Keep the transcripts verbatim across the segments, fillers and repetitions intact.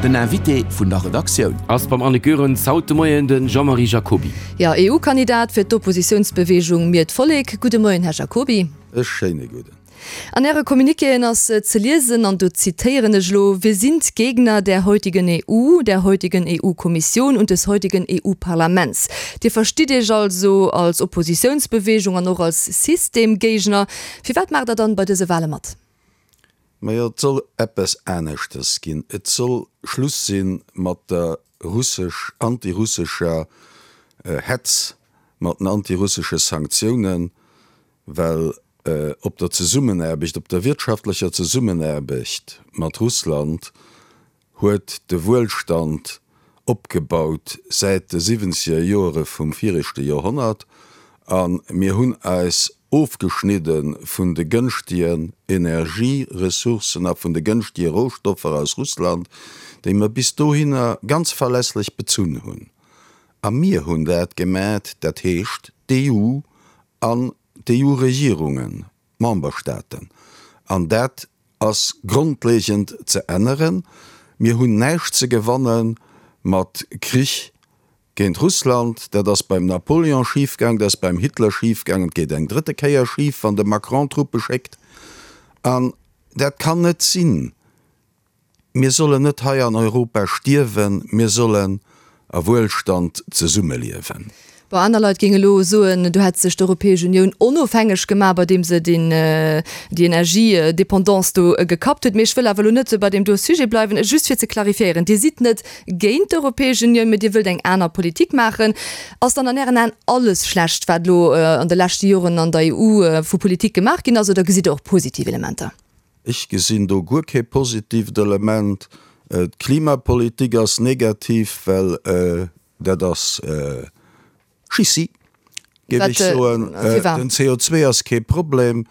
Den Invité vun der Redaktioun. Ass beim Anne Goerens haut de Moien de Jean-Marie Jacoby. Jo, E U Kandidat fir d'Oppositiounsbeweegung Mir d'Vollek. Gudde Moien, Här Jacoby. E schéine gudden. An Äre Communiquéen ass ze liesen, an do zitéieren ech elo, Wir sind Gegner der heutigen E U, der heutigen E U-Kommission und des heutigen E U-Parlaments. Dir verstitt Iech also als Oppositiounsbeweegung an och als Systemgéigner. Firwat maacht Der dann bei dëse Wale mat? Majo, et soll eppes aneschtes ginn. Et soll Schluss si mat der russesch, antirussescher Hetz, mat den antirussesche Sanktiounen, well op der Zesummenaarbecht, op der wirtschaftlecher Zesummenaarbecht mat Russland huet de Wuelstand opgebaut säit de siwwenzeger Joere vum viregte Joerhonnert a mir hunn eis ofgeschnidde vun de gënschtegen Energieressourcen a vun de gënschtege Rohstoffer aus Russland, déi mer bis dohinner ganz verlässlech bezunn hunn. A mir hunn dat gemat, dat heescht d'E U an d'E U-Regierungen, d'Memberstaaten. An dat ass grondlegend ze änneren. Mir hunn näischt ze gewanne mat Krich géint Russland. Dat ass beim Napoleon schifgaang, dat ass beim Hitler schifgaang, et geet eng drëtte Kéier schif, wann de Macron Truppe schéckt. An dat kann net sinn. Mir sollen net hei an Europa stierwen, mir sollen a Wuelstand zesummeliewen. Bon, aner Leit géinge elo soen, do hätt sech d'Europäesch Unioun onofhängeg gemaach, bei deem se den, déi Energiedependance do gekappt huet. Mee ech wëll awer elo net bei deem do Sujet bleiwen. Just fir ze clarifiéieren, Dir sidd net géint d'Europäesch Unioun, mee Dir wëllt eng aner Politik maachen. Ass dann an Ären Aen alles schlecht, wat elo an de leschte Joren an der E U vu Politik gemaach ginn ass, oder gesitt Der och positiv Elementer? Ech gesinn do guer kee positiivt Element. D'Klimapolitik ass negativ, well dat ass Schissi, géif ech soen. Den C O zwee ass kee Problem.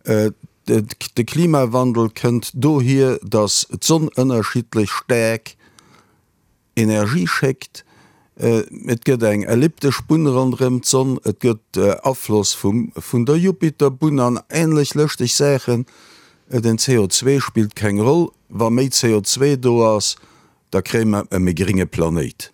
De Klimawandel kënnt dohier, datt d'Sonn ënnerschiddlech staark Energie schéckt. Et gëtt eng elliptesch Bunn ronderëm d'Sonn, et gëtt Afloss vum, vun der Jupiterbunn an änlech lëschteg Saachen. Den C O zwee spillt keng Roll. Wa méi C O zwee do ass, da kréie mer e méi grénge Planéit.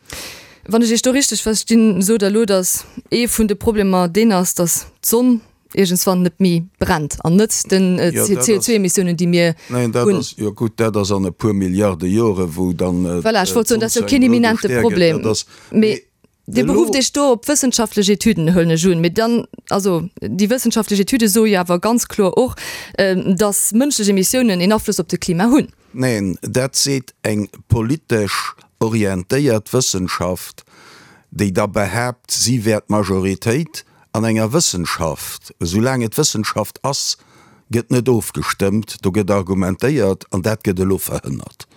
Wann ech Iech do richteg verstinn, sot Der elo, datt ee vun de Problemer deen ass, datt d'Sonn iergendswann net méi brennt an net den C O zwee Emissiounen, déi mir hunn. Neen, dat ass, jo gutt, dat ass an e puer Milliarde Jore wou dann Voilà, ech wollt soen, dat ass jo keen imminente Problem. Mee Dir berufft Iech do op wëssenschaftlech Etüden, huelen ech un. Mee dann, also déi wëssenschaftlech Etüde soe jo awer ganz kloer och, datt mënschlech Emissiounen een Afloss op de Klima hunn. Neen, dat seet eng politesch orientéiert Wëssenschaft, déi da behaapt, si wär d'Majoritéit. An enger Wëssenschaft, esoulaang et Wëssenschaft ass, gëtt net ofgestëmmt, do gëtt argumentéiert, an dat gëtt elo verhënnert.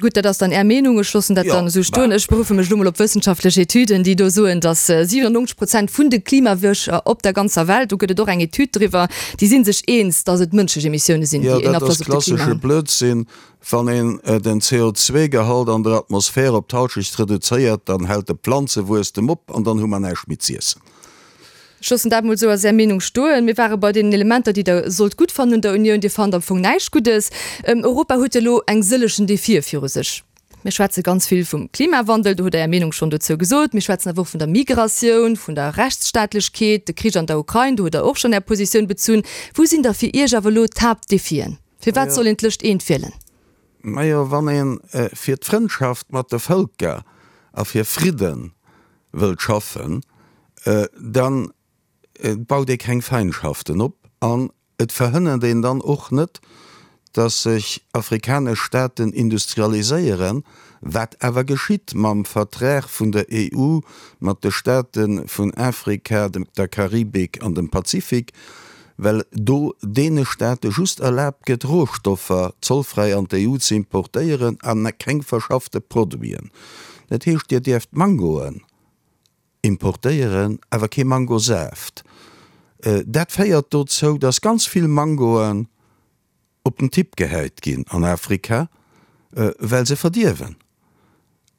Gutt, dat ass dann Är Meenung. Ech loossen dat dann esou stoen. Ech beruffe mech elo mol op wëssenschaftlech Etüden, déi do soen, datt siwenennonzeg Prozent vun de Klimawircher op der ganzer Welt, do gëtt et och eng Etüd driwwer, déi si sech eens, datt et mënschlech Emissioune sinn, déi een Afloss op de Klima hunn. Jo, dat ass klassesche Blödsinn. Wann een den C O zwee Gehalt an der Atmosphär op d'Halschecht reduzéiert, dann hält de Planzewuesstem op an dann hu mer näischt méi z'iessen. Ech loossen dat mol esou als Är Meenung stoen. Mir ware bei deenen Elementer, déi Der sollt gutt fannen un der Unioun. Dir fannt am Fong näischt Guddes. Europa huet elo eng sëllechen Defie viru sech. Mir schwätze ganz vill vum Klimawandel, do hutt Der Är Meenung schonn dozou gesot. Mir schwätzen awer och vun der Migratioun, vun der Rechtsstaatlechkeet, de Krich an der Ukrain, do hutt Der och schonn Är Positioun bezunn. Wou sinn da fir Iech awer elo d'Haaptdefien? Firwat soll een d'lëscht eent wielen? Majo, wann ee fir d'Frëndschaft mat de Vëlker a fir Fridde wëllt schaffen, da baut ee keng Feindschaften op an et verhënnert een dann och net, datt sech afrikanesch Staaten industrialiséieren, wat awer geschitt mam Vertrag vun der E U mat de Staate vun Afrika, der Karibik an dem Pazifik, well do deene Staate just erlaabt gëtt, Rohstoffer zollfräi an d'E U ze importéieren a keng verschaffte Produiten. Dat heescht, Dir dierft Mangoen importéieren, awer kee Mangosaaft. Dat féiert dozou, datt ganz vill Mangoen op den Tipp gehäit ginn an Afrika, well se verdierwen.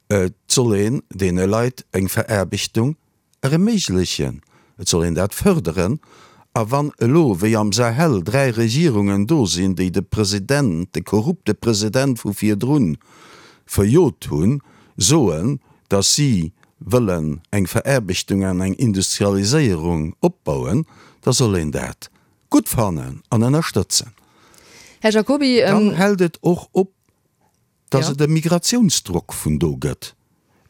Et soll een deene Leit eng Veraarbechtung erméiglechen, et soll een dat fërderen A wann elo, wéi am Sahel, dräi Regierungen do sinn, déi de President, de korrupte President vu virdrun, verjot hunn, soen, datt si wëllen eng Veraarbechtung an eng Industrialiséierung opbauen, da soll een dat gutt fannen an ënnerstëtzen. Här Jacoby, Dann hält et och op, datt et e Migratiounsdrock vun do gëtt.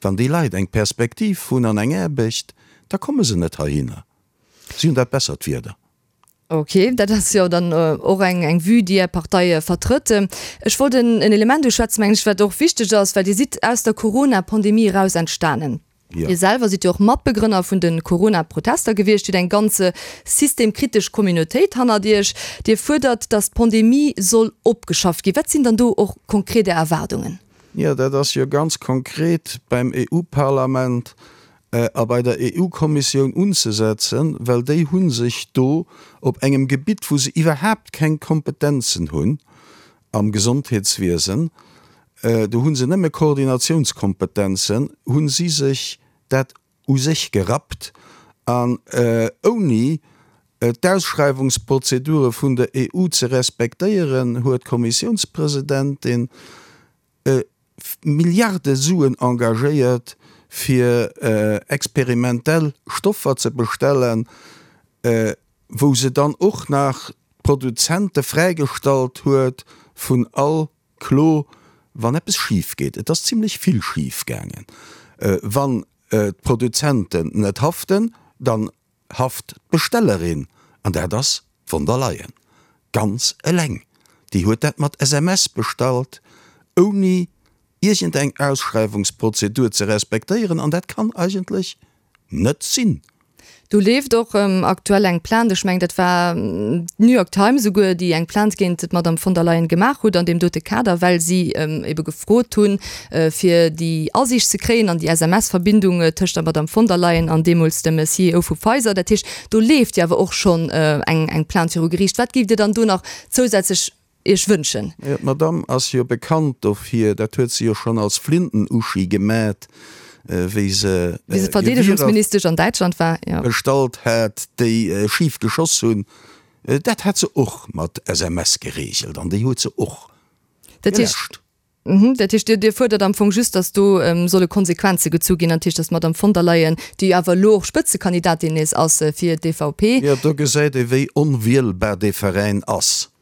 Wann déi Leit eng Perspektiv hunn an eng Aarbecht, da komme se net heihinner. Si hunn dat bessert Wieder. Ok, dat ass jo dann och eng eng Vue, déi Är Partei vertrëtt. Ech wollt en Element uschwätzen, mengen ech, wat och wichteg ass, well Dir sidd aus der Corona-Pandemie eraus entstanen. Dir selwer sidd jo och Matbegrënner vun de Corona-Protester gewiescht. Dir hutt eng ganz systemkritesch Communautéit hannert Iech. Dir fuerdert, datt d'Pandemie soll opgeschafft ginn. Wat sinn dann do och konkret Är Erwaardungen? Jo, dat ass jo ganz konkret beim EU-Parlament a bei der EU-Kommissioun unzesetzen, well déi hu sech do op engem Gebitt, wou se iwwerhaapt keng Kompetenzen hunn, am Gesondheetswiesen, do hu se nëmme Koordinatiounskompetenzen, hu si sech dat u sech gerappt an ouni d'Ausschreiwungsprozedure vun der EU ze respektéieren, huet d'Kommissiounspresidentin Milliarde Suen engagéiert, fir experimentell Stoffer ze bestellen, wou se dann och nach d'Produzente fräigestallt huet vun all Klo, wann eppes schif geet. Et ass zimlech vill schif gaangen. Wann d'Produzenten net haften, dann haft d'Bestellerin, an dat ass d'Von der Leyen ganz eleng. Déi huet dat mat S M S bestallt, ouni iergendeng Ausschreiwungsprozedur ze respektéieren, an dat kann eigentlech net sinn. Do leeft och aktuell eng Plainte, ech mengen dat war d'New York Times esouguer, déi eng Plainte géint d'Madame von der Leyen gemaach huet an deem dote Kader, well si ebe gefrot hunn, fir déi Asiicht ze kréien an déi S M S-Verbindung tëscht der Madame von der Leyen an deemools dem C E O vu Pfizer. Dat heescht, do leeft jo awer och schonn eng eng Plainte viru Geriicht. Wat géift Dir dann do nach zousätzlech Iech wënschen? Jo, d'Madame ass jo bekannt dofir, dat huet se jo schonn als Flinten-Uschi gemat, wéi se Wéi se Verdeedegungsministesch an Däitschland war, jo. Bestallt hat, déi schif geschoss hunn. Dat hat se och mat S M S gereegelt an déi huet se och Dat heescht, geläscht. dat heescht, Dir, Dir fuerdert am Fong just, datt do solle Konsequenze gezu ginn, dat heescht, datt d'Madame von der Leyen, déi jo awer elo och Spëtzekandidatin nees ass fir d'E V P. Jo, do gesäit ee wéi onwielbar dee Veräin ass.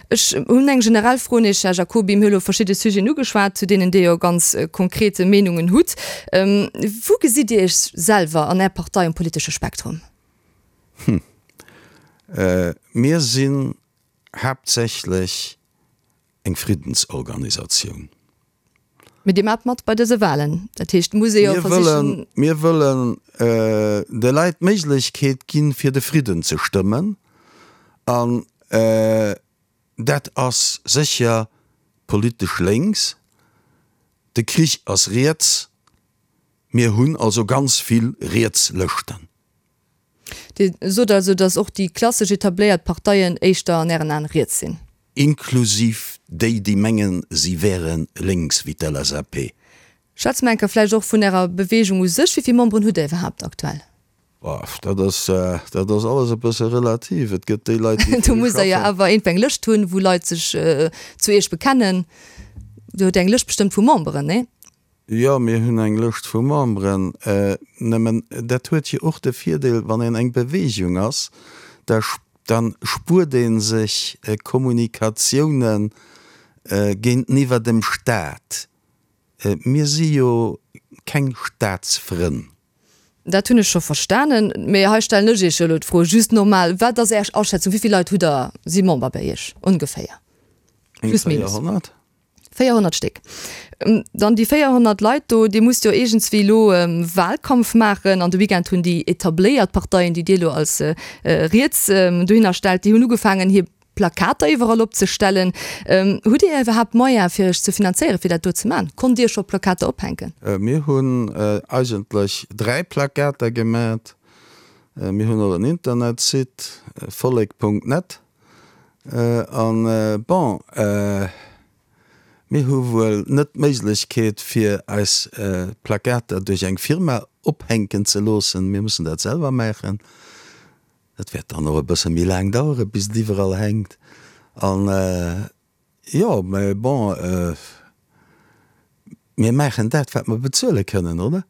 Ech hunn eng generell Fro un Iech, Här Jacoby. Mir hu elo verschidde Sujeten ugeschwat, zu deenen Dir jo ganz konkret Meenungen hutt. Wou gesitt Dir Iech selwer an Är Partei um politesche Spektrum? Hm. Mir sinn haaptsächlech eng Friddensorganisatioun. Mee Dir maacht mat bei dëse Wahlen. Dat heescht, muss ee jo versichen. Mir wëllen de Leit d'Méiglechkeet ginn, fir de Fridden ze stëmmen. An dat ass sécher politesch lénks, de Krich ass riets, mir hunn also ganz vill riets Lëschten. Dir sot also, datt och déi klassesch etabléiert Parteien éischter an Ären Aen riets sinn? Inklusiv déi, déi mengen, si wäre lénks, wéi d'L S A P. Schwätze mer eng Kéier vläicht och vun Ärer Beweegung u sech. Wéi vill Memberen hutt Dir iwwerhaapt aktuell? Boah, dat ass, dat ass alles e bësse relativ. Et gëtt déi Leit, déi Do musst Der jo awer iergendwéi eng Lëscht hunn, wou Leit sech zu Iech bekennen. Dir hutt eng Lëscht bestëmmt vu Memberen, nee? Jo, mir hunn eng Lëscht vu Memberen. Nëmmen dat huet jo och de Virdeel, wann een eng Beweegung ass, da dann spuert ee sech Kommunikatiounen géinteniwwer dem Staat. Mir si jo keng Staatsfrënn. Dat hunn ech scho verstanen, mee hei stellen ech Iech jo elo d'Fro just normal, Wat ass Är Aschätzung, wéi vill Leit hutt Der, si Member bei Iech ongeféier? Eng Plus minus. véierhonnert. véierhonnert Stéck. Dann déi véierhonnert Leit do, Dir musst jo iergendswéi elo Wahlkampf maachen. An de Weekend hunn déi etabléiert Parteien, déi Dir elo als riets dohinner stellt, déi hunn ugefaangen hir Plakater iwwerall opzestellen. Hutt Dir iwwerhaapt Moyen fir Iech ze finanzéieren, fir dat do ze maachen? Konnt Dir scho Plakater ophänken? Mir hunn eigentlech dräi Plakater gemat. Mir hunn och en Internetsite, vollek punkt net. An bon, mir hu wuel net d'Méiglechkeet fir eis Plakater duerch eng Firma ophänken ze loossen. Mir mussen dat selwer maachen. Dat wäert dann och e bësse méi laang dauere bis et iwwerall hänkt. An jo, mä bon, mir maachen dat, wat mer bezuele kënnen, oder?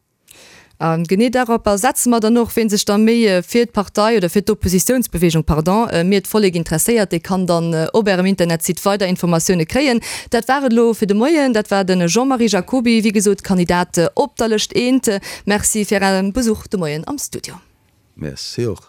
A genee daropper setze mer dann och. Ween sech da méi fir d'Partei oder fir d'Oppositiounsbewegung, pardon, Mir d'Vollek interesséiert, dee kann dann op ärem Internetsite weider Informatioune kréien. Dat war et elo fir de Moien. Dat war de Jean-Marie Jacoby, wéi gesot Kandidat op der Lëscht eent. Merci fir Ären Besuch de Moien am Studio. Merci och.